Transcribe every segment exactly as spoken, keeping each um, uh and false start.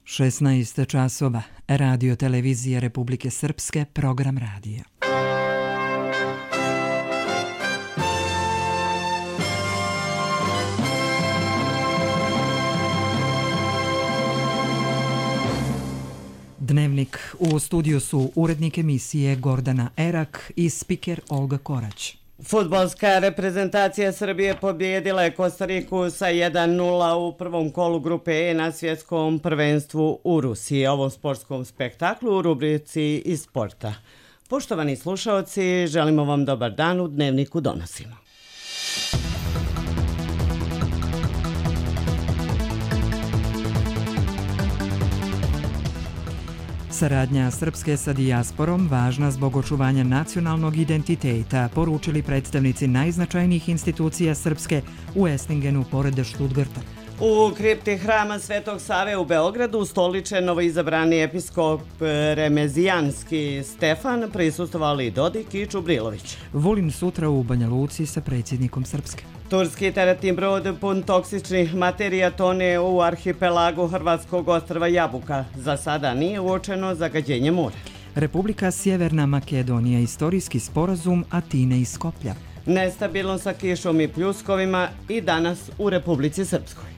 šesnaest časova, Radio Televizija Republike Srpske, program radija. Dnevnik. U studiju su urednik emisije Gordana Erak i spiker Olga Korać. Fudbalska reprezentacija Srbije pobijedila je Kostariku sa jedan nula u prvom kolu grupe E na svjetskom prvenstvu u Rusiji. Ovom sportskom spektaklu u rubrici iz sporta. Poštovani slušaoci, želimo vam dobar dan, u Dnevniku donosimo. Saradnja Srpske sa dijasporom važna zbog očuvanja nacionalnog identiteta, poručili predstavnici najznačajnijih institucija Srpske u Esslingenu pored Stuttgarta. U kripti hrama Svetog Save u Beogradu ustoličen novoizabrani episkop Remezijanski Stefan, prisustvovali Dodik i Čubrilović. Vulin sutra u Banja Luci sa predsjednikom Srpske. Turski teretni brod pun toksičnih materija tone u arhipelagu hrvatskog ostrva Jabuka. Za sada nije uočeno zagađenje mora. Republika Sjeverna Makedonija, istorijski sporazum Atine i Skoplja. Nestabilno sa kišom i pljuskovima i danas u Republici Srpskoj.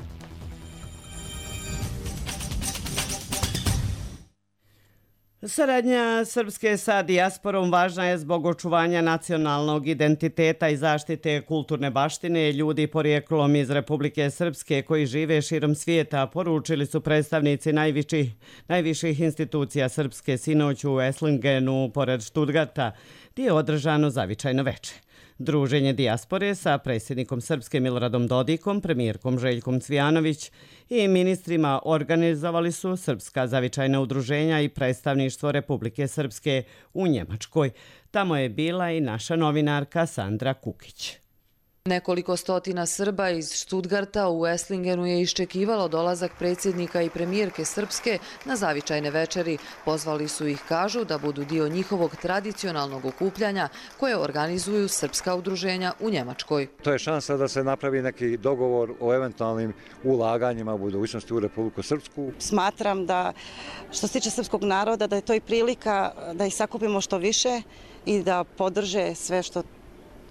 Saradnja Srpske sa dijasporom važna je zbog očuvanja nacionalnog identiteta i zaštite kulturne baštine ljudi porijeklom iz Republike Srpske koji žive širom svijeta, poručili su predstavnici najviših, najviših institucija Srpske sinoć u Esslingenu pored Stuttgarta, gdje je održano zavičajno veče. Druženje dijaspore sa predsjednikom Srpske Miloradom Dodikom, premijerkom Željkom Cvijanović i ministrima organizovali su Srpska zavičajna udruženja i predstavništvo Republike Srpske u Njemačkoj. Tamo je bila i naša novinarka Sandra Kukić. Nekoliko stotina Srba iz Stuttgarta u Esslingenu je iščekivalo dolazak predsjednika i premijerke Srpske na zavičajne večeri. Pozvali su ih, kažu, da budu dio njihovog tradicionalnog okupljanja koje organizuju srpska udruženja u Njemačkoj. To je šansa da se napravi neki dogovor o eventualnim ulaganjima u budućnosti u Republiku Srpsku. Smatram da što se tiče srpskog naroda da je to i prilika da ih sakupimo što više i da podrže sve što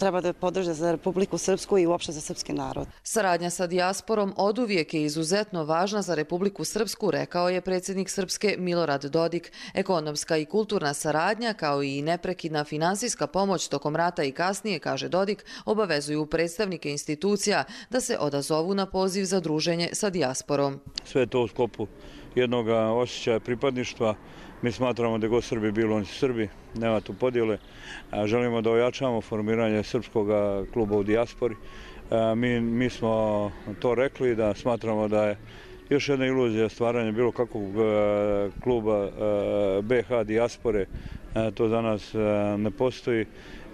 treba da podrže za Republiku Srpsku i uopšte za srpski narod. Saradnja sa dijasporom oduvijek je izuzetno važna za Republiku Srpsku, rekao je predsjednik Srpske Milorad Dodik. Ekonomska i kulturna saradnja, kao i neprekidna finansijska pomoć tokom rata i kasnije, kaže Dodik, obavezuju predstavnike institucija da se odazovu na poziv za druženje sa dijasporom. Sve to u sklopu jednog osjećaja pripadništva. Mi smatramo da je god Srbi bilo, oni su Srbi, nema tu podjele. Želimo da ojačamo formiranje srpskog kluba u dijaspori. Mi, mi smo to rekli, da smatramo da je još jedna iluzija stvaranja bilo kakvog kluba be ha dijaspore. To za nas ne postoji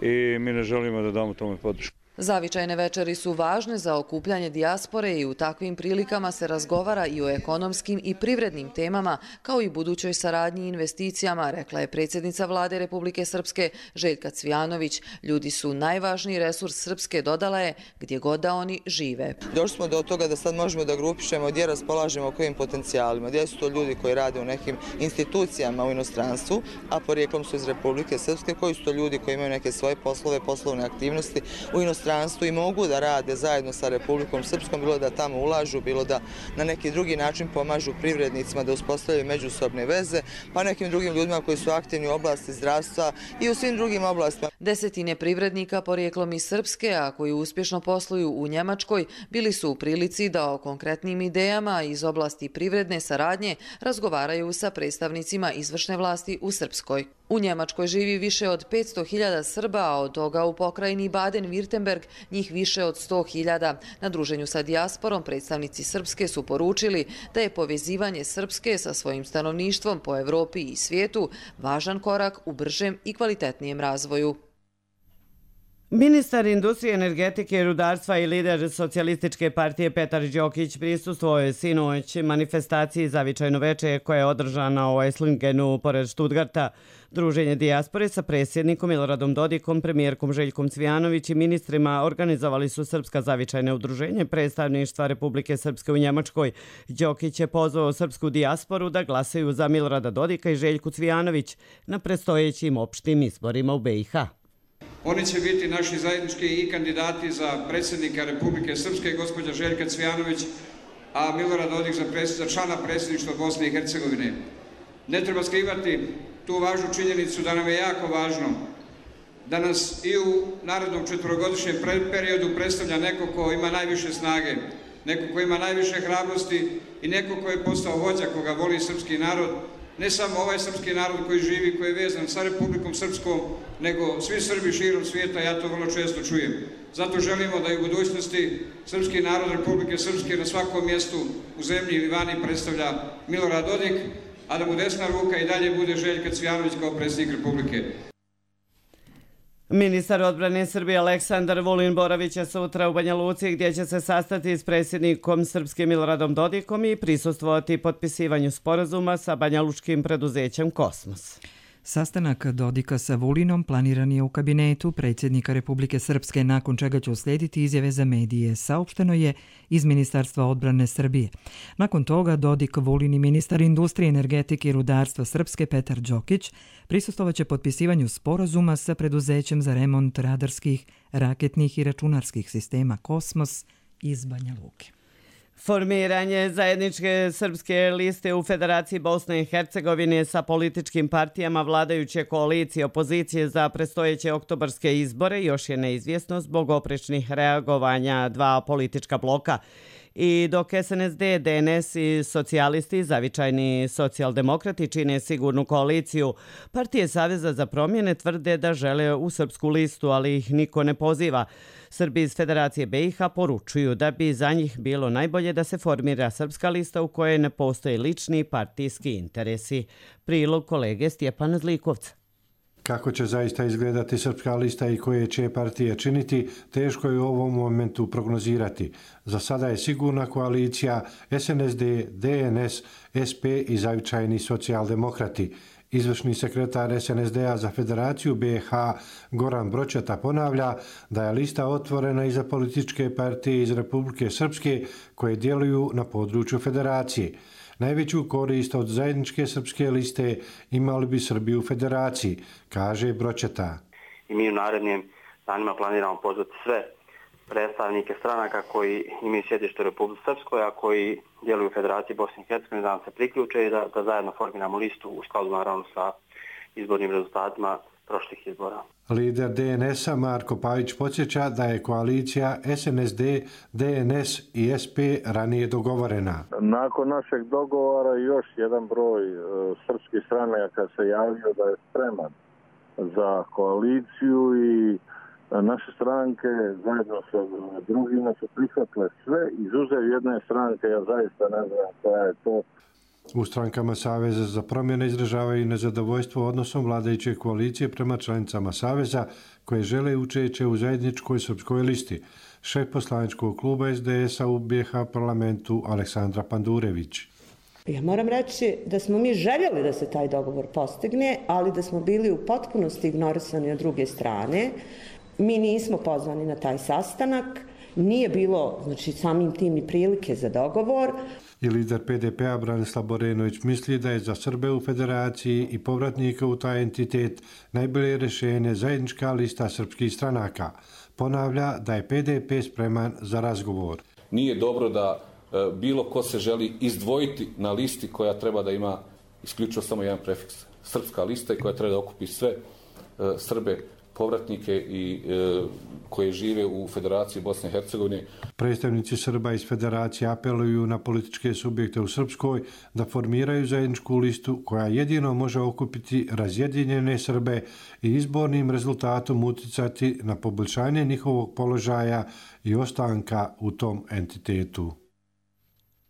i mi ne želimo da damo tome podršku. Zavičajne večeri su važne za okupljanje dijaspore i u takvim prilikama se razgovara i o ekonomskim i privrednim temama, kao i budućoj saradnji i investicijama, rekla je predsjednica vlade Republike Srpske Željka Cvijanović. Ljudi su najvažniji resurs Srpske, dodala je, gdje god da oni žive. Došli smo do toga da sad možemo da grupišemo gdje raspolažemo kojim potencijalima, gdje su to ljudi koji rade u nekim institucijama u inostranstvu, a porijeklom su iz Republike Srpske, koji su to ljudi koji imaju neke svoje poslove, poslovne aktivnosti u inostranstvu i mogu da rade zajedno sa Republikom Srpskom, bilo da tamo ulažu, bilo da na neki drugi način pomažu privrednicima da uspostavljaju međusobne veze, pa nekim drugim ljudima koji su aktivni u oblasti zdravstva i u svim drugim oblastima. Desetine privrednika porijeklom iz Srpske, a koji uspješno posluju u Njemačkoj, bili su u prilici da o konkretnim idejama iz oblasti privredne saradnje razgovaraju sa predstavnicima izvršne vlasti u Srpskoj. U Njemačkoj živi više od petsto hiljada Srba, a od toga u pokrajini Baden-Württemberg njih više od sto hiljada. Na druženju sa dijasporom predstavnici Srpske su poručili da je povezivanje Srpske sa svojim stanovništvom po Evropi i svijetu važan korak u bržem i kvalitetnijem razvoju. Ministar industrije, energetike i rudarstva i lider socijalističke partije Petar Đokić prisustvovao je sinoć manifestaciji Zavičajno veče koja je održana u Esslingenu pored Stuttgarta. Druženje dijaspore sa predsjednikom Miloradom Dodikom, premijerkom Željkom Cvijanović i ministrima organizovali su Srpska zavičajna udruženje predstavništva Republike Srpske u Njemačkoj. Đokić je pozvao srpsku dijasporu da glasaju za Milorada Dodika i Željku Cvijanović na predstojećim opštim izborima u be i ha. Oni će biti naši zajednički i kandidati za predsjednika Republike Srpske, gospođa Željka Cvijanović, a Milorad Dodik za, za člana predsjedništva Bosne i Hercegovine. Ne treba skrivati tu važnu činjenicu da nam je jako važno da nas i u narednom četvorogodišnjem periodu predstavlja neko ko ima najviše snage, neko ko ima najviše hrabrosti i neko ko je postao vođa koga voli srpski narod. Ne samo ovaj srpski narod koji živi, koji je vezan sa Republikom Srpskom, nego svi Srbi širom svijeta, ja to vrlo često čujem. Zato želimo da i u budućnosti srpski narod Republike Srpske na svakom mjestu u zemlji ili vani predstavlja Milorad Dodik, a da mu desna ruka i dalje bude Željka Cvijanović kao predsjednik Republike. Ministar odbrane Srbije Aleksandar Vulin Boravić je sutra u Banja Luci gdje će se sastati s predsjednikom Srpske Miloradom Dodikom i prisustvovati potpisivanju sporazuma sa banjalučkim preduzećem Kosmos. Sastanak Dodika sa Vulinom planiran je u kabinetu predsjednika Republike Srpske, nakon čega će uslijediti izjave za medije, saopšteno je iz Ministarstva odbrane Srbije. Nakon toga Dodik, Vulin i ministar industrije, energetike i rudarstva Srpske Petar Đokić prisustvovaće potpisivanju sporazuma sa preduzećem za remont radarskih, raketnih i računarskih sistema Kosmos iz Banja Luke. Formiranje zajedničke srpske liste u Federaciji Bosne i Hercegovine sa političkim partijama vladajuće koalicije opozicije za predstojeće oktobarske izbore još je neizvjesno zbog oprečnih reagovanja dva politička bloka. I dok es en es de, de en es i socijalisti, zavičajni socijaldemokrati čine sigurnu koaliciju, partije Saveza za promjene tvrde da žele u srpsku listu, ali ih niko ne poziva. Srbi iz Federacije be i ha poručuju da bi za njih bilo najbolje da se formira srpska lista u kojoj ne postoje lični partijski interesi. Prilog kolege Stjepana Zlikovca. Kako će zaista izgledati srpska lista i koje će partije činiti, teško je u ovom momentu prognozirati. Za sada je sigurna koalicija es en es de, de en es, es pe i zavičajni socijaldemokrati. Izvršni sekretar es en es de-a za Federaciju be i ha Goran Bročeta ponavlja da je lista otvorena i za političke partije iz Republike Srpske koje djeluju na području Federacije. Najveću korist od zajedničke srpske liste imali bi Srbi u Federaciji, kaže Bročeta. I mi u narednim danima planiramo pozvati sve predstavnike stranaka koji imaju sjedište u Republici Srpskoj, a koji djeluju u Federaciji Bosne i Hercegovine, da nam se priključe i da, da zajedno formiramo listu u skladu naravno sa izbornim rezultatima prošlih izbora. Lider de en es-a Marko Pavić podsjeća da je koalicija es en es de, de en es i es pe ranije dogovorena. Nakon našeg dogovora još jedan broj e, srpskih stranaka se javio da je spreman za koaliciju i naše stranke zajedno sa drugima su prihvatile sve, izuzev jedne stranke, ja zaista ne znam koja je to. U strankama Saveza za promjene izražavaju nezadovoljstvo odnosom vladajuće koalicije prema članicama Saveza koje žele učešće u zajedničkoj srpskoj listi. Šef poslaničkog kluba es de es-a u be i ha parlamentu Aleksandra Pandurević. Ja moram reći da smo mi željeli da se taj dogovor postigne, ali da smo bili u potpunosti ignorisani od druge strane. Mi nismo pozvani na taj sastanak, nije bilo, znači, samim tim ni prilike za dogovor. I lider pe de pe-a Branislav Borenović misli da je za Srbe u Federaciji i povratnika u taj entitet najbolje rješenje zajednička lista srpskih stranaka. Ponavlja da je pe de pe spreman za razgovor. Nije dobro da e, bilo ko se želi izdvojiti na listi koja treba da ima isključivo samo jedan prefiks. Srpska lista i koja treba da okupi sve e, Srbe povratnike i e, koje žive u Federaciji Bosne i Hercegovine. Predstavnici Srba iz Federacije apeluju na političke subjekte u Srpskoj da formiraju zajedničku listu koja jedino može okupiti razjedinjene Srbe i izbornim rezultatom uticati na poboljšanje njihovog položaja i ostanka u tom entitetu.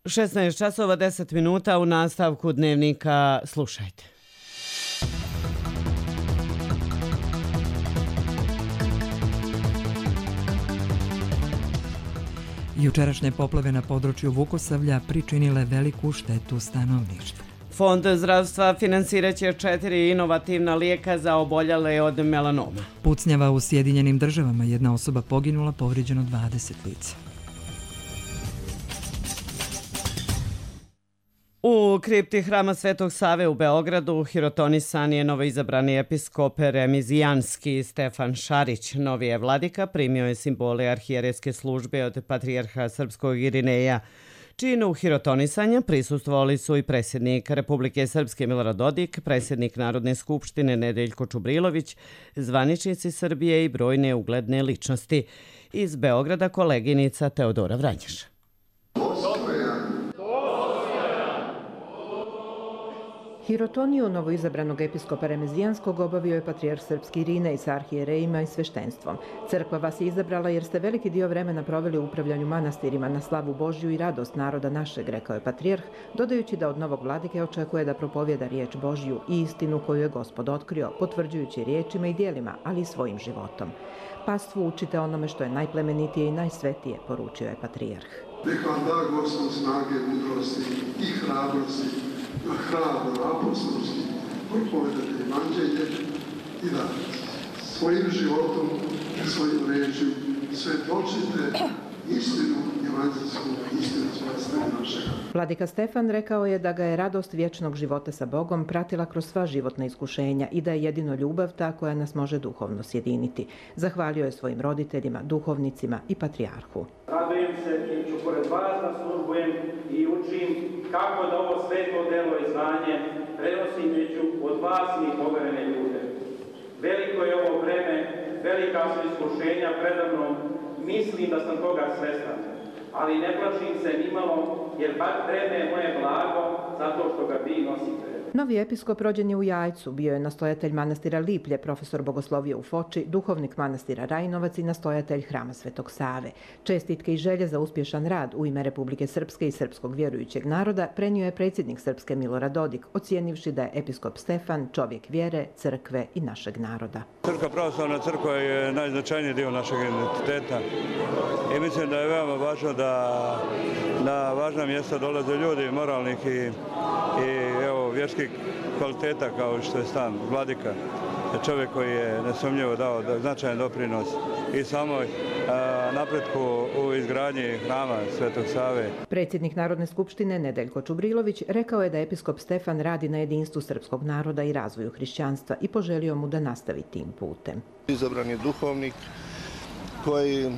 šesnaest časova deset minuta u nastavku dnevnika slušajte. Jučerašnje poplave na području Vukosavlja pričinile veliku štetu stanovništvu. Fond zdravstva finansiraće četiri inovativna lijeka za oboljele od melanoma. Pucnjava u Sjedinjenim državama, jedna osoba poginula, povrijeđeno dvadeset lica. U kripti Hrama Svetog Save u Beogradu hirotonisan je novoizabrani episkop remizijanski Stefan Šarić. Novi je vladika primio je simbole arhijerejske službe od patrijarha srpskog Irineja. Činu hirotonisanja prisustvovali su i predsjednik Republike Srpske Milorad Dodik, predsjednik Narodne skupštine Nedeljko Čubrilović, zvaničnici Srbije i brojne ugledne ličnosti. Iz Beograda koleginica Teodora Vranješ. Hirotoniju novoizabranog episkopa Remezijanskog obavio je patrijarh srpski Irinej sa arhijerejima i sveštenstvom. Crkva vas je izabrala jer ste veliki dio vremena proveli u upravljanju manastirima na slavu Božju i radost naroda našeg, rekao je patrijarh, dodajući da od novog vladike očekuje da propovjeda riječ Božju i istinu koju je Gospod otkrio, potvrđujući riječima i dijelima, ali i svojim životom. Pastvu učite onome što je najplemenitije i najsvetije, poručio je patrijarh. Nek vam da Gospod snage, mudrosti i hrabrosti, hrabro, apostolski, propovedate evanđelje i da svojim životom i svojim rečju svjedočite istinu evanđelsku, istinu svojstva našega. Vladika Stefan rekao je da ga je radost vječnog života sa Bogom pratila kroz sva životna iskušenja i da je jedino ljubav ta koja nas može duhovno sjediniti. Zahvalio je svojim roditeljima, duhovnicima i patrijarhu. Radujem se i ću pored vas da službujem i učim kako da ovo sveto delo i znanje prenosim među od vas i poverene ljude. Veliko je ovo vreme, velika su iskušenja predamnom, mislim da sam toga svestan, ali ne plašim se nimalo, jer bar vreme je moje blago, zato što ga vi nosite. Novi episkop rođen je u Jajcu, bio je nastojatelj manastira Liplje, profesor bogoslovije u Foči, duhovnik manastira Rajinovac i nastojatelj Hrama Svetog Save. Čestitke i želje za uspješan rad u ime Republike Srpske i srpskog vjerujućeg naroda prenio je predsjednik Srpske Milorad Dodik, ocijenivši da je episkop Stefan čovjek vjere, crkve i našeg naroda. Srpska pravoslavna crkva je najznačajniji dio našeg identiteta i mislim da je veoma važno da na važna mjesta dolaze ljudi moralnih i, i evo, vjerskih kvaliteta kao što je stan vladika, čovjek koji je nesumnjivo dao značajan doprinos i samoj a, napretku u izgradnji Hrama Svetog Save. Predsjednik Narodne skupštine Nedeljko Čubrilović rekao je da episkop Stefan radi na jedinstvu srpskog naroda i razvoju hrišćanstva i poželio mu da nastavi tim putem. Izabran je duhovnik koji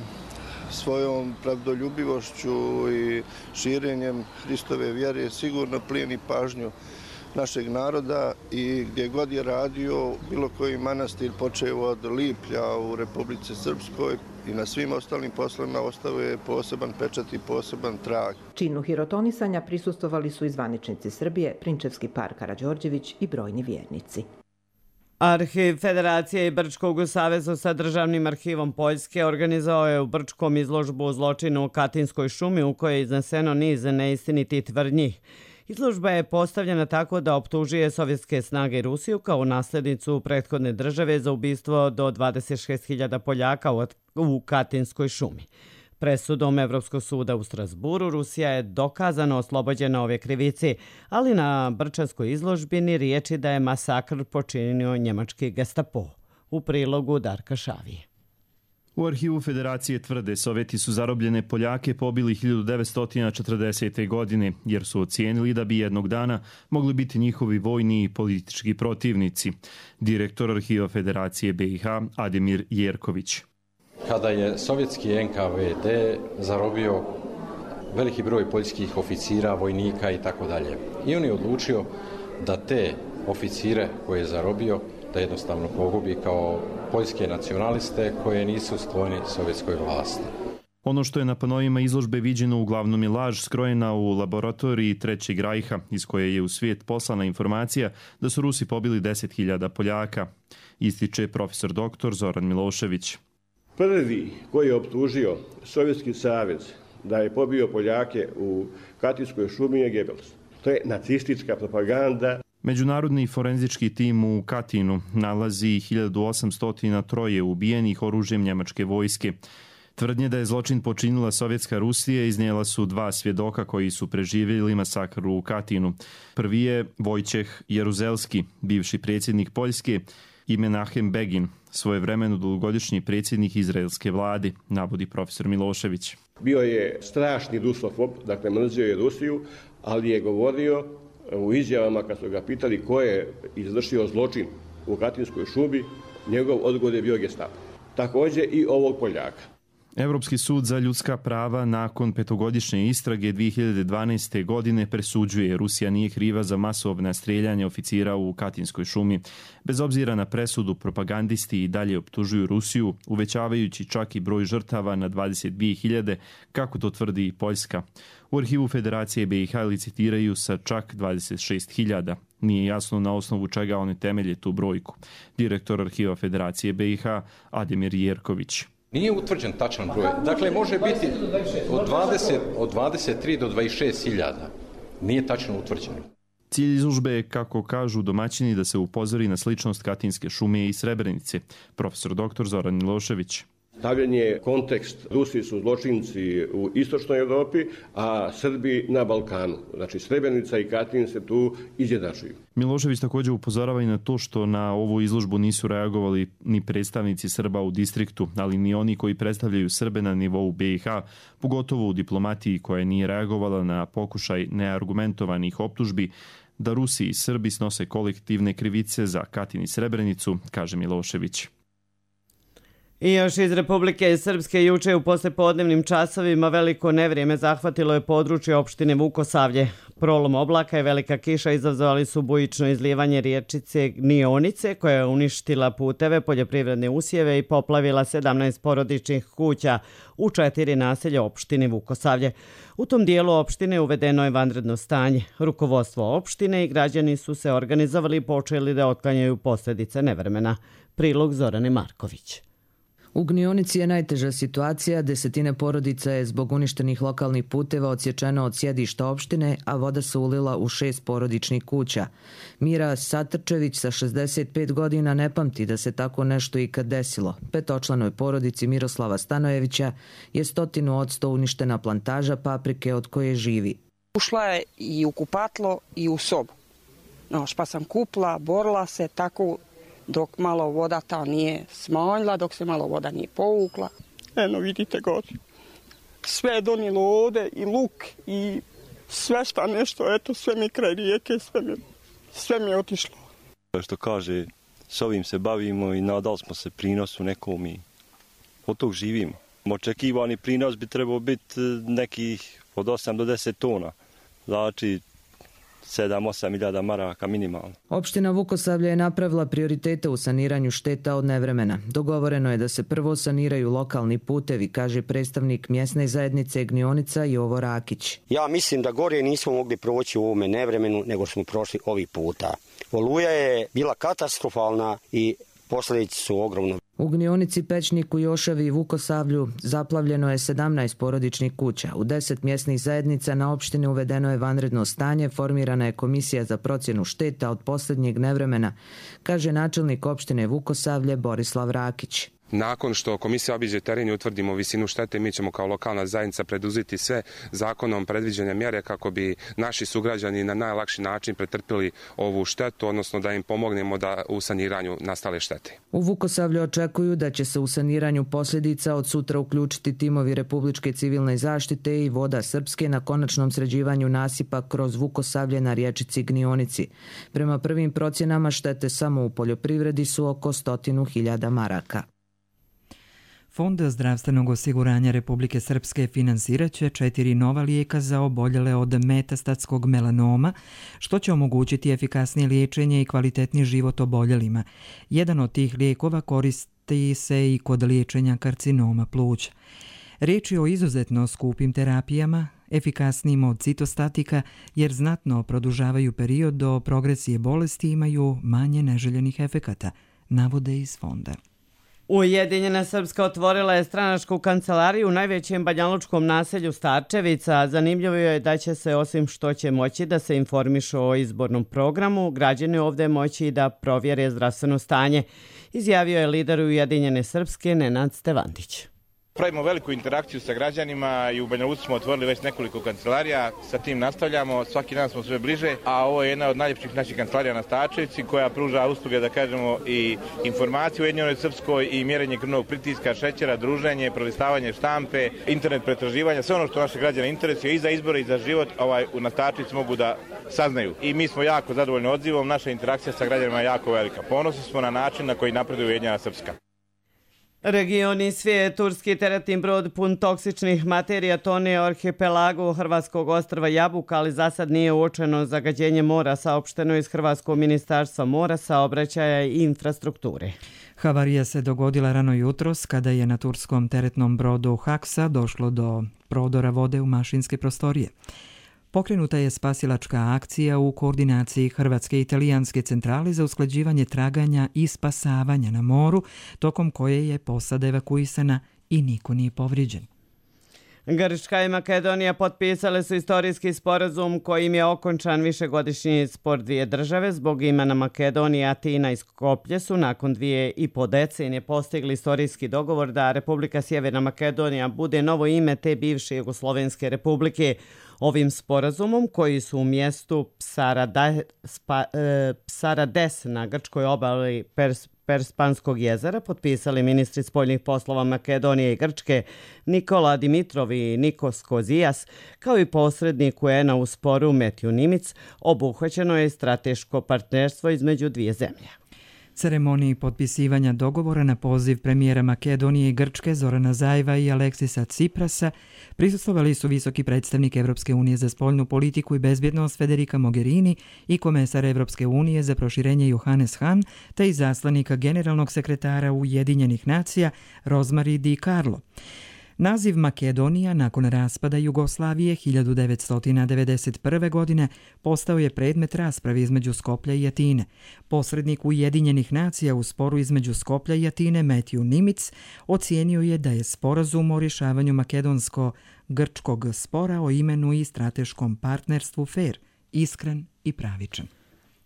svojom pravdoljubivošću i širenjem Hristove vjere sigurno plijeni pažnju našeg naroda i gdje god je radio, bilo koji manastir počeo od Liplja u Republici Srpskoj i na svim ostalim poslovima ostavio je poseban pečat i poseban trag. Činu hirotonisanja prisustvovali su i zvaničnici Srbije, Prinčevski par Karađorđević i brojni vjernici. Arhiv Federacije i Brčkog u savezu sa Državnim arhivom Poljske organizovao je u Brčkom izložbu o zločinu u Katinskoj šumi u kojoj je izneseno niz neistinitih tvrdnji. Izložba je postavljena tako da optužuje sovjetske snage i Rusiju kao nasljednicu prethodne države za ubistvo do dvadeset šest hiljada Poljaka u Katinskoj šumi. Presudom Evropskog suda u Strasburu Rusija je dokazano oslobođena ove krivici, ali na Brčanskoj izložbini riječi da je masakr počinio njemački Gestapo. U prilogu Darka Šavije. U arhivu Federacije tvrde Sovjeti su zarobljene Poljake pobili hiljadu devetsto četrdesete. godine, jer su ocijenili da bi jednog dana mogli biti njihovi vojni i politički protivnici. Direktor arhiva Federacije B i H Ademir Jerković. Kada je sovjetski N K V D zarobio veliki broj poljskih oficira, vojnika i tako dalje. I on je odlučio da te oficire koje je zarobio da jednostavno pogubi kao poljske nacionaliste koje nisu skloni sovjetskoj vlasti. Ono što je na panovima izložbe viđeno uglavnom je laž skrojena u laboratoriji Trećeg rajha, iz koje je u svijet poslana informacija da su Rusi pobili deset hiljada Poljaka, ističe profesor doktor Zoran Milošević. Prvi koji je optužio Sovjetski savez da je pobio Poljake u Katinskoj šumi je Goebbels. To je nacistička propaganda. Međunarodni forenzički tim u Katinu nalazi hiljadu osamsto tri ubijenih oružjem njemačke vojske. Tvrdnje da je zločin počinila sovjetska Rusija iznijela su dva svjedoka koji su preživjeli masakr u Katinu. Prvi je Vojčeh Jeruzelski, bivši predsjednik Poljske, i Menahem Begin, svojevremeno dugogodišnji predsjednik izraelske vlade, navodi profesor Milošević. Bio je strašni rusofob, dakle mrzio je Rusiju, ali je govorio u izjavama kad su ga pitali ko je izvršio zločin u Katinskoj šubi, njegov odgovor je bio Gestapo. Također i ovog Poljaka. Europski sud za ljudska prava nakon petogodišnje istrage dvije hiljade dvanaeste. godine presuđuje Rusija nije kriva za masovna streljanja oficira u Katinskoj šumi. Bez obzira na presudu, propagandisti i dalje optužuju Rusiju, uvećavajući čak i broj žrtava na dvadeset dvije hiljade, kako to tvrdi i Poljska. U arhivu Federacije B i H licitiraju sa čak dvadeset šest hiljada. Nije jasno na osnovu čega oni temelje tu brojku. Direktor arhiva Federacije B i H Ademir Jerković. Nije utvrđen tačan broj. Dakle, može biti od, dvadeset, od dvadeset tri do dvadeset šest hiljada. Nije tačno utvrđeno. Cilj izložbe je, kako kažu domaćini, da se upozori na sličnost Katinske šume i Srebrenice. Profesor doktor Zoran Milošević. Stavljen je kontekst, Rusi su zločinci u istočnoj Europi, a Srbi na Balkanu. Znači Srebrenica i Katin se tu izjednačuju. Milošević također upozorava i na to što na ovu izložbu nisu reagovali ni predstavnici Srba u distriktu, ali ni oni koji predstavljaju Srbe na nivou B i H, pogotovo u diplomatiji koja nije reagovala na pokušaj neargumentovanih optužbi da Rusi i Srbi snose kolektivne krivice za Katin i Srebrenicu, kaže Milošević. I još iz Republike Srpske juče u poslijepodnevnim časovima veliko nevrijeme zahvatilo je područje opštine Vukosavlje. Prolom oblaka i velika kiša izazvali su bujično izlijevanje riječice Gnionice koja je uništila puteve, poljoprivredne usjeve i poplavila sedamnaest porodičnih kuća u četiri naselja opštine Vukosavlje. U tom dijelu opštine uvedeno je vanredno stanje. Rukovodstvo opštine i građani su se organizovali i počeli da otklanjaju posljedice nevremena. Prilog Zorane Marković. U Gnionici je najteža situacija, desetine porodica je zbog uništenih lokalnih puteva odsječeno od sjedišta opštine, a voda se ulila u šest porodičnih kuća. Mira Satrčević sa šezdeset pet godina ne pamti da se tako nešto ikad desilo. Petočlanoj porodici Miroslava Stanojevića je stotinu odsto uništena plantaža paprike od koje živi. Ušla je i u kupatlo i u sobu. No, pa sam kupla, borila se tako dok malo voda ta nije smanjila, dok se malo voda nije povukla. Eno, vidite gore. Sve je donijelo ovde i luk i sve šta nešto, eto, sve mi kraj rijeke, sve mi, sve mi je otišlo. Što kaže, s ovim se bavimo i nadali smo se prinosu nekom i od tog živimo. Očekivani prinos bi trebao biti nekih od osam do deset tona. Znači, sedam do osam hiljada maraka minimalno. Opština Vukosavlje je napravila prioritete u saniranju šteta od nevremena. Dogovoreno je da se prvo saniraju lokalni putevi, kaže predstavnik mjesne zajednice Gnionica Jovo Rakić. Ja mislim da gore nismo mogli proći u ovome nevremenu nego smo prošli ovih puta. Oluja je bila katastrofalna i posljedice su ogromne. U Gnionici, Pečniku, Jošavi i Vukosavlju zaplavljeno je sedamnaest porodičnih kuća. U deset mjesnih zajednica na opštini uvedeno je vanredno stanje, formirana je komisija za procjenu šteta od posljednjeg nevremena, kaže načelnik opštine Vukosavlje Borislav Rakić. Nakon što komisija obiđe teren i utvrdimo visinu štete, mi ćemo kao lokalna zajednica preduzeti sve zakonom predviđene mjere kako bi naši sugrađani na najlakši način pretrpili ovu štetu, odnosno da im pomognemo da u saniranju nastale štete. U Vukosavlju očekuju da će se u saniranju posljedica od sutra uključiti timovi Republičke civilne zaštite i Voda Srpske na konačnom sređivanju nasipa kroz Vukosavlje na riječici Gnionici. Prema prvim procjenama štete samo u poljoprivredi su oko stotinu hiljada maraka. Fond zdravstvenog osiguranja Republike Srpske finansirat će četiri nova lijeka za oboljele od metastatskog melanoma, što će omogućiti efikasnije liječenje i kvalitetni život oboljelima. Jedan od tih lijekova koristi se i kod liječenja karcinoma pluća. Riječ je o izuzetno skupim terapijama, efikasnijim od citostatika, jer znatno produžavaju period do progresije bolesti i imaju manje neželjenih efekata, navode iz fonda. Ujedinjena Srpska otvorila je stranačku kancelariju u najvećem banjalučkom naselju Starčevica. Zanimljivo je da će se, osim što će moći da se informišu o izbornom programu, građani ovdje moći da provjere zdravstveno stanje, izjavio je lider Ujedinjene Srpske Nenad Stevandić. Pravimo veliku interakciju sa građanima i u Banja Luci smo otvorili već nekoliko kancelarija, sa tim nastavljamo, svaki dan smo sve bliže, a ovo je jedna od najljepših naših kancelarija na Stačevici koja pruža usluge, da kažemo, i informaciju u Ujedinjenoj Srpskoj i mjerenje krvnog pritiska, šećera, druženje, prolistavanje štampe, internet pretraživanja, sve ono što naše građane interesuje i za izbore i za život, ovaj, na Stačevici mogu da saznaju. I mi smo jako zadovoljni odzivom, naša interakcija sa građanima je jako velika. Ponosni smo na način na koji napreduje Ujedinjena Srpska. Regioni svijet, turski teretni brod pun toksičnih materija tone u arhipelagu hrvatskog ostrva Jabuka, ali za sad nije uočeno zagađenje mora, saopšteno iz Hrvatskog ministarstva mora, saobraćaja i infrastrukture. Havarija se dogodila rano jutros kada je na turskom teretnom brodu Haksa došlo do prodora vode u mašinske prostorije. Pokrenuta je spasilačka akcija u koordinaciji Hrvatske i Italijanske centrale za usklađivanje traganja i spasavanja na moru, tokom koje je posada evakuisana i niko nije povrijeđen. Grčka i Makedonija potpisale su istorijski sporazum kojim je okončan višegodišnji spor dvije države. Zbog imena Makedonije, Atina i Skoplje su nakon dvije i po decenije postigli istorijski dogovor da Republika Sjeverna Makedonija bude novo ime te bivše Jugoslovenske republike. Ovim sporazumom, koji su u mjestu Psarade, spa, e, Psarades na grčkoj obali Pers, Perspanskog jezera, potpisali ministri spoljnih poslova Makedonije i Grčke Nikola Dimitrov i Nikos Kozijas, kao i posrednik U N-a u sporu Metju Nimic. Obuhvaćeno je strateško partnerstvo između dvije zemlje. Ceremoniji potpisivanja dogovora na poziv premijera Makedonije i Grčke Zorana Zajeva i Aleksisa Ciprasa prisustvovali su visoki predstavnik Evropske unije za spoljnu politiku i bezbjednost Federica Mogherini i komesar Evropske unije za proširenje Johannes Hahn, te i zaslanika generalnog sekretara Ujedinjenih nacija Rosemary Di Carlo. Naziv Makedonija nakon raspada Jugoslavije hiljadu devetsto devedeset prve. godine postao je predmet rasprave između Skoplja i Atine. Posrednik Ujedinjenih nacija u sporu između Skoplja i Atine Metju Nimic ocijenio je da je sporazum o rješavanju makedonsko-grčkog spora o imenu i strateškom partnerstvu fer, iskren i pravičan.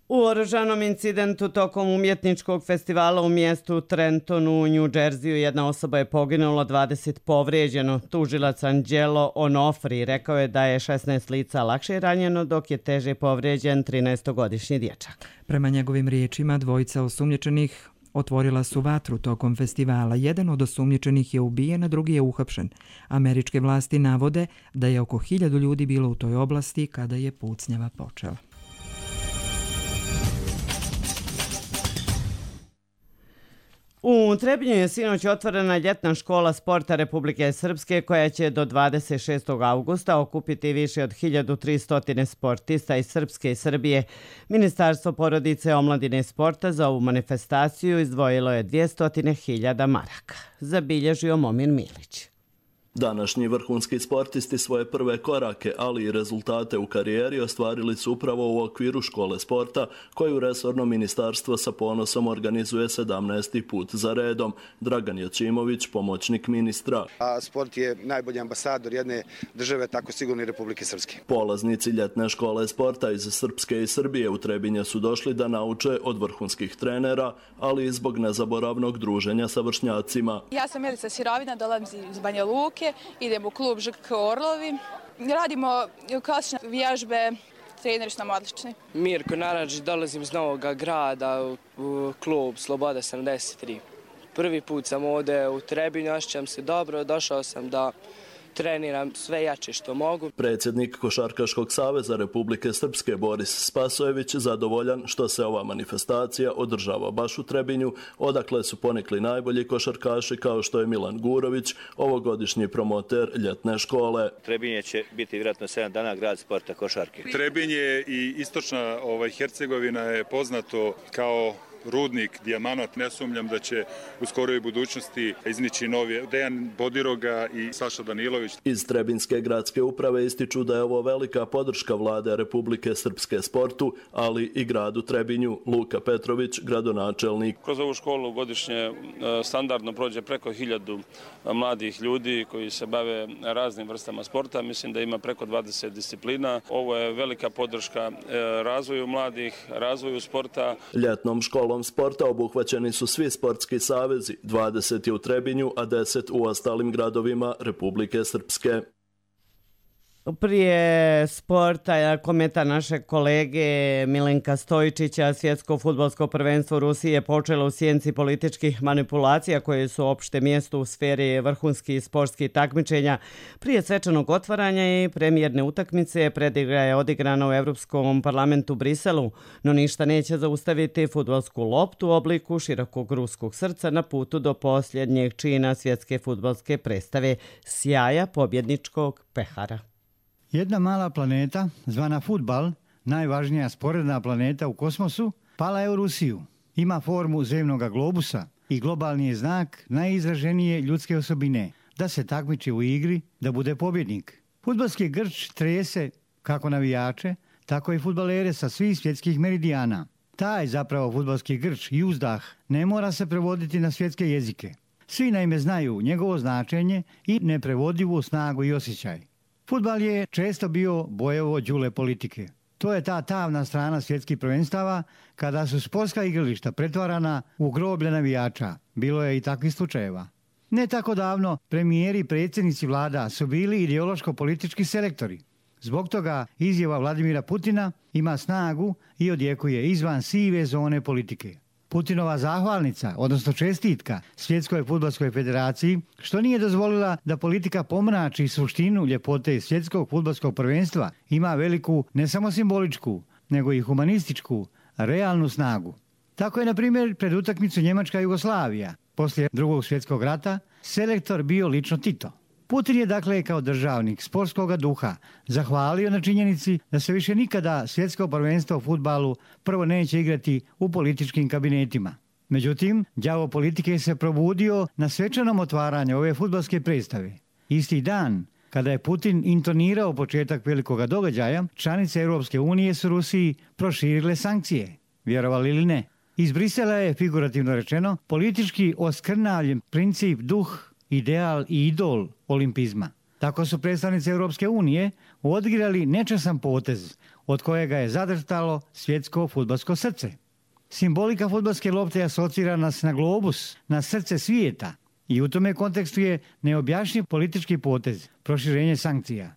U oružanom incidentu tokom umjetničkog festivala u mjestu Trentonu u New Jerseyu jedna osoba je poginula, dvadeset povrijeđeno. Tužilac Angelo Onofri rekao je da je šesnaest lica lakše ranjeno, dok je teže povrijeđen trinaestogodišnji dječak. Prema njegovim riječima, dvojica osumnjičenih otvorila su vatru tokom festivala. Jedan od osumnjičenih je ubijen, a drugi je uhapšen. Američke vlasti navode da je oko hiljadu ljudi bilo u toj oblasti kada je pucnjava počela. U Trebinju je sinoć otvorena ljetna škola sporta Republike Srpske koja će do dvadeset šestog augusta okupiti više od hiljadu tristo sportista iz Srpske i Srbije. Ministarstvo porodice, omladine i sporta za ovu manifestaciju izdvojilo je dvjesto hiljada maraka. Zabilježio Momir Milić. Današnji vrhunski sportisti svoje prve korake, ali i rezultate u karijeri ostvarili su upravo u okviru škole sporta, koju resorno ministarstvo sa ponosom organizuje sedamnaesti put za redom. Dragan Jočimović, pomoćnik ministra. A sport je najbolji ambasador jedne države, tako sigurno i Republike Srpske. Polaznici ljetne škole sporta iz Srpske i Srbije u Trebinje su došli da nauče od vrhunskih trenera, ali i zbog nezaboravnog druženja sa vršnjacima. Ja sam Milica Sirovina, dolazim iz Banja Luke. Idemo u klub Ž K Orlovi. Radimo klasične vježbe, treneri su nam odlični. Mirko Naradžić, dolazim iz Novog Grada u klub Sloboda sedamdeset tri. Prvi put sam ovdje u Trebinju, osjećam se dobro, došao sam da treniram sve jače što mogu. Predsjednik Košarkaškog saveza Republike Srpske Boris Spasojević zadovoljan što se ova manifestacija održava baš u Trebinju, odakle su ponikli najbolji košarkaši kao što je Milan Gurović, ovogodišnji promoter ljetne škole. Trebinje će biti vjerojatno sedam dana grad sporta košarke. Trebinje i istočna ovaj, Hercegovina je poznato kao rudnik, dijamanat. Ne sumnjam da će u skoroj budućnosti iznići novi Dejan Bodiroga i Saša Danilović. Iz Trebinske gradske uprave ističu da je ovo velika podrška vlade Republike Srpske sportu, ali i gradu Trebinju. Luka Petrović, gradonačelnik. Kroz ovu školu godišnje standardno prođe preko hiljadu mladih ljudi koji se bave raznim vrstama sporta. Mislim da ima preko dvadeset disciplina. Ovo je velika podrška razvoju mladih, razvoju sporta. Ljetnom školom Festivalom sporta obuhvaćeni su svi sportski savezi, dvadeset je u Trebinju, a deset u ostalim gradovima Republike Srpske. Prije sporta komentar našeg kolege Milenka Stojičića, svjetsko fudbalsko prvenstvo Rusije je počelo u sjenci političkih manipulacija koje su opšte mjesto u sferi vrhunskih sportskih takmičenja. Prije svečanog otvaranja i premijerne utakmice predigra je odigrana u Europskom parlamentu Briselu, no ništa neće zaustaviti fudbalsku loptu u obliku širokog ruskog srca na putu do posljednjeg čina svjetske fudbalske predstave sjaja pobjedničkog pehara. Jedna mala planeta, zvana fudbal, najvažnija sporedna planeta u kosmosu, pala je u Rusiju. Ima formu zemnog globusa i globalni je znak najizraženije ljudske osobine, da se takmiči u igri, da bude pobjednik. Fudbalski grč trese kako navijače, tako i fudbalere sa svih svjetskih meridijana. Taj zapravo fudbalski grč i uzdah ne mora se prevoditi na svjetske jezike. Svi naime znaju njegovo značenje i neprevodivu snagu i osjećaj. Fudbal je često bio bojevo đule politike. To je ta tamna strana svjetskih prvenstava kada su sportska igrališta pretvarana u groblje navijača. Bilo je i takvih slučajeva. Ne tako davno premijeri i predsjednici vlada su bili ideološko-politički selektori. Zbog toga izjava Vladimira Putina ima snagu i odjekuje izvan sive zone politike. Putinova zahvalnica, odnosno čestitka Svjetskoj fudbalskoj federaciji, što nije dozvolila da politika pomrači suštinu ljepote Svjetskog fudbalskog prvenstva, ima veliku ne samo simboličku, nego i humanističku, realnu snagu. Tako je, na primjer, pred utakmicu Njemačka-Jugoslavija, poslije drugog svjetskog rata, selektor bio lično Tito. Putin je dakle kao državnik sportskog duha zahvalio na činjenici da se više nikada svjetsko prvenstvo u fudbalu prvo neće igrati u političkim kabinetima. Međutim, đavo politike se probudio na svečanom otvaranju ove fudbalske predstave. Isti dan, kada je Putin intonirao početak velikoga događaja, članice Europske unije su Rusiji proširile sankcije. Vjerovali ili ne? Iz Brisela je, figurativno rečeno, politički oskrnavljen princip, duh, ideal i idol olimpizma. Tako su predstavnici Europske unije odigrali nečasan potez od kojega je zadrhtalo svjetsko fudbalsko srce. Simbolika fudbalske lopte asocira nas na globus, na srce svijeta i u tome kontekstu je neobjašnjiv politički potez, proširenje sankcija.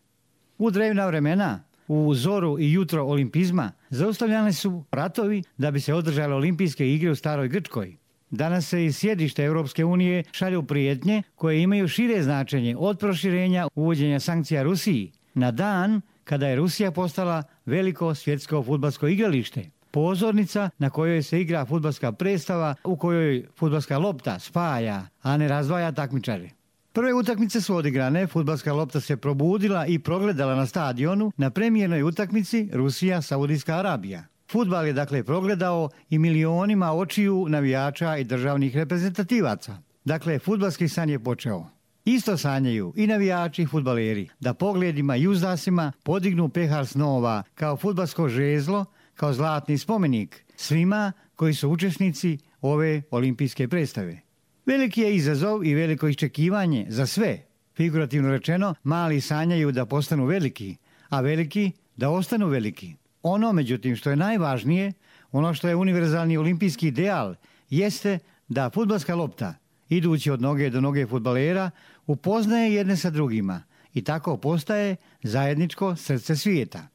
U drevna vremena, u zoru i jutro olimpizma, zaustavljani su ratovi da bi se održale olimpijske igre u staroj Grčkoj. Danas se iz sjedišta Europske unije šalju prijetnje koje imaju šire značenje od proširenja uvođenja sankcija Rusiji na dan kada je Rusija postala veliko svjetsko fudbalsko igralište. Pozornica na kojoj se igra fudbalska predstava u kojoj fudbalska lopta spaja, a ne razdvaja takmičare. Prve utakmice su odigrane, fudbalska lopta se probudila i progledala na stadionu na premijernoj utakmici Rusija-Saudijska Arabija. Fudbal je dakle progledao i milionima očiju navijača i državnih reprezentativaca. Dakle, fudbalski san je počeo. Isto sanjaju i navijači i fudbaleri da pogledima i uzdasima podignu pehar snova kao fudbalsko žezlo, kao zlatni spomenik svima koji su učesnici ove olimpijske predstave. Veliki je izazov i veliko iščekivanje za sve. Figurativno rečeno, mali sanjaju da postanu veliki, a veliki da ostanu veliki. Ono, međutim, što je najvažnije, ono što je univerzalni olimpijski ideal, jeste da fudbalska lopta, idući od noge do noge fudbalera, upoznaje jedne sa drugima i tako postaje zajedničko srce svijeta.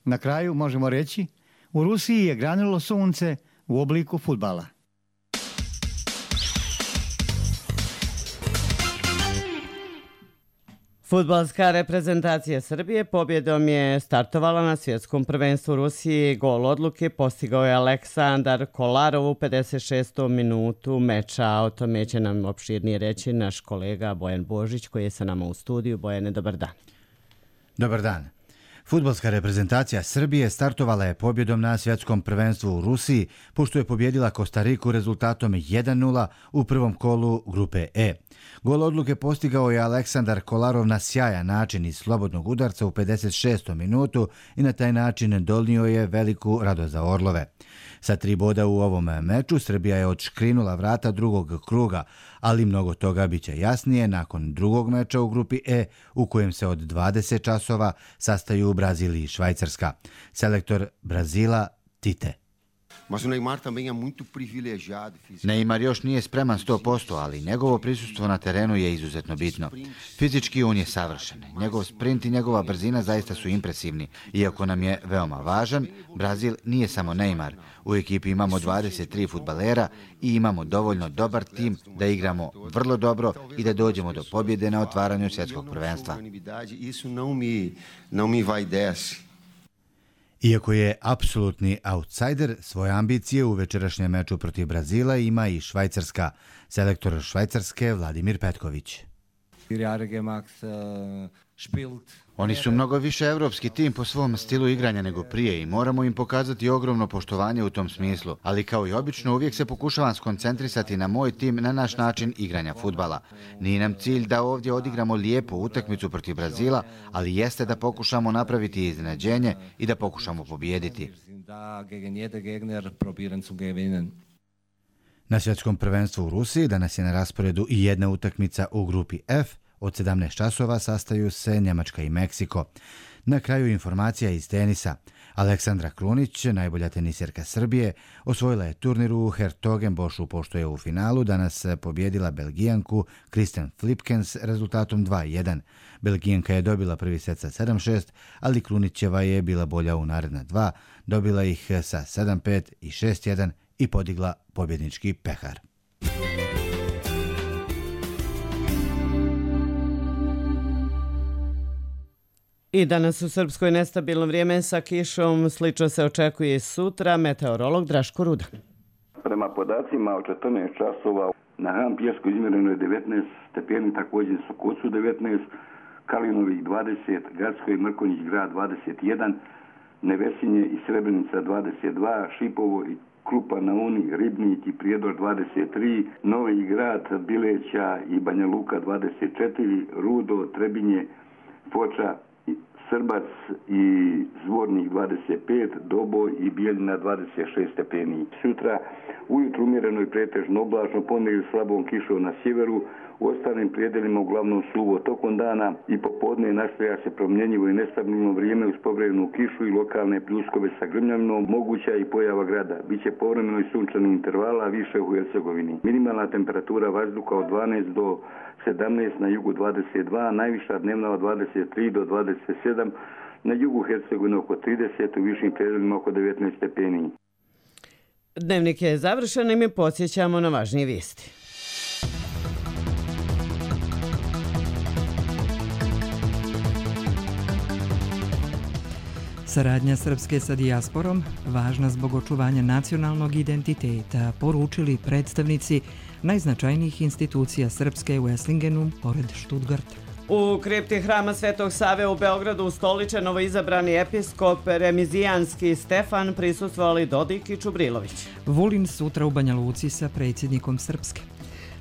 Na kraju možemo reći, u Rusiji je granulo sunce u obliku fudbala. Fudbalska reprezentacija Srbije pobjedom je startovala na svjetskom prvenstvu Rusije. Gol odluke postigao je Aleksandar Kolarov u pedeset šestom minutu meča. O tome će nam opširnije reći naš kolega Bojan Božić koji je sa nama u studiju. Bojane, dobar dan. Dobar dan. Fudbalska reprezentacija Srbije startovala je pobjedom na svjetskom prvenstvu u Rusiji, pošto je pobjedila Kostariku rezultatom jedan nula u prvom kolu grupe E. Gol odluke postigao je Aleksandar Kolarov na sjajan način iz slobodnog udarca u pedeset šestom minutu i na taj način donio je veliku radost za Orlove. Sa tri boda u ovom meču Srbija je odškrinula vrata drugog kruga, ali mnogo toga biće jasnije nakon drugog meča u grupi E u kojem se od dvadeset časova sastaju Brazil i Švajcarska. Selektor Brazila Tite. Neymar još nije spreman sto posto, ali njegovo prisustvo na terenu je izuzetno bitno. Fizički on je savršen. Njegov sprint i njegova brzina zaista su impresivni. Iako nam je veoma važan, Brazil nije samo Neymar. U ekipi imamo dvadeset tri fudbalera i imamo dovoljno dobar tim da igramo vrlo dobro i da dođemo do pobjede na otvaranju svjetskog prvenstva. Iako je apsolutni outsider, svoje ambicije u večerašnjem meču protiv Brazila ima i Švajcarska. Selektor Švajcarske Vladimir Petković. Oni su mnogo više evropski tim po svom stilu igranja nego prije i moramo im pokazati ogromno poštovanje u tom smislu. Ali kao i obično uvijek se pokušavam skoncentrisati na moj tim, na naš način igranja fudbala. Nije nam cilj da ovdje odigramo lijepu utakmicu protiv Brazila, ali jeste da pokušamo napraviti iznenađenje i da pokušamo pobijediti. Na svjetskom prvenstvu u Rusiji danas je na rasporedu i jedna utakmica u grupi F. Od sedamnaest časova sastaju se Njemačka i Meksiko. Na kraju informacija iz tenisa. Aleksandra Krunić, najbolja tenisjerka Srbije, osvojila je turnir u Hertogenbošu, pošto je u finalu danas pobjedila Belgijanku Kristen Flipkens rezultatom dva jedan. Belgijanka je dobila prvi set sa sedam šest, ali Krunićeva je bila bolja u naredna dva, dobila ih sa sedam pet i šest jedan i podigla pobjednički pehar. I danas u Srpskoj nestabilno vrijeme sa kišom, slično se očekuje i sutra, meteorolog Draško Ruda. Prema podacima od četrnaest časova na Han Pjesku izmjereno je devetnaest stepeni, također su Kocu devetnaest, Kalinovih dvadeset, Gacko i Mrkonjić grad dvadeset jedan, Nevesinje i Srebrenica dvadeset dva, Šipovo i Krupa na Uni, Ribnik i Prijedor dvadeset tri, Novi Grad, Bileća i Banja Luka dvadeset četiri, Rudo, Trebinje, Foča, Srbac i Zvornik dvadeset pet, Doboj i Bijeljina dvadeset šest stepeni. Sutra ujutru umjereno i pretežno oblačno, ponegdje slabom kišom na sjeveru, u ostalim prijedelima uglavnom suvo tokom dana i popodne nastavlja se promjenjivo i nestabilno vrijeme uz povremenu kišu i lokalne pljuskove sa grmljavinom, moguća i pojava grada. Biće povremeno i sunčanih intervala, više u Hercegovini. Minimalna temperatura vazduha od dvanaest do sedamnaest, na jugu dvadeset dva, najviša dnevna od dvadeset tri do dvadeset sedam, na jugu Hercegovine oko trideset, u višim predelima oko devetnaest stepeni. Dnevnik je završen i mi podsjećamo na važnije vijesti. Saradnja Srpske sa dijasporom, važna zbog očuvanja nacionalnog identiteta, poručili predstavnici najznačajnijih institucija Srpske u Eslingenu, pored Štutgarta. U kripti hrama Svetog Save u Beogradu ustoličen novoizabrani episkop Remizijanski Stefan, prisustvovali Dodik i Čubrilović. Vulin sutra u Banja Luci sa predsjednikom Srpske.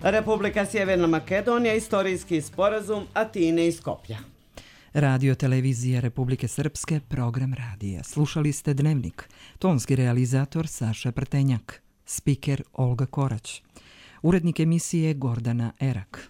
Republika Sjeverna Makedonija, istorijski sporazum Atine i Skoplja. Radio televizija Republike Srpske, program radija. Slušali ste Dnevnik. Tonski realizator Saša Prtenjak. Spiker Olga Korać. Urednik emisije Gordana Erak.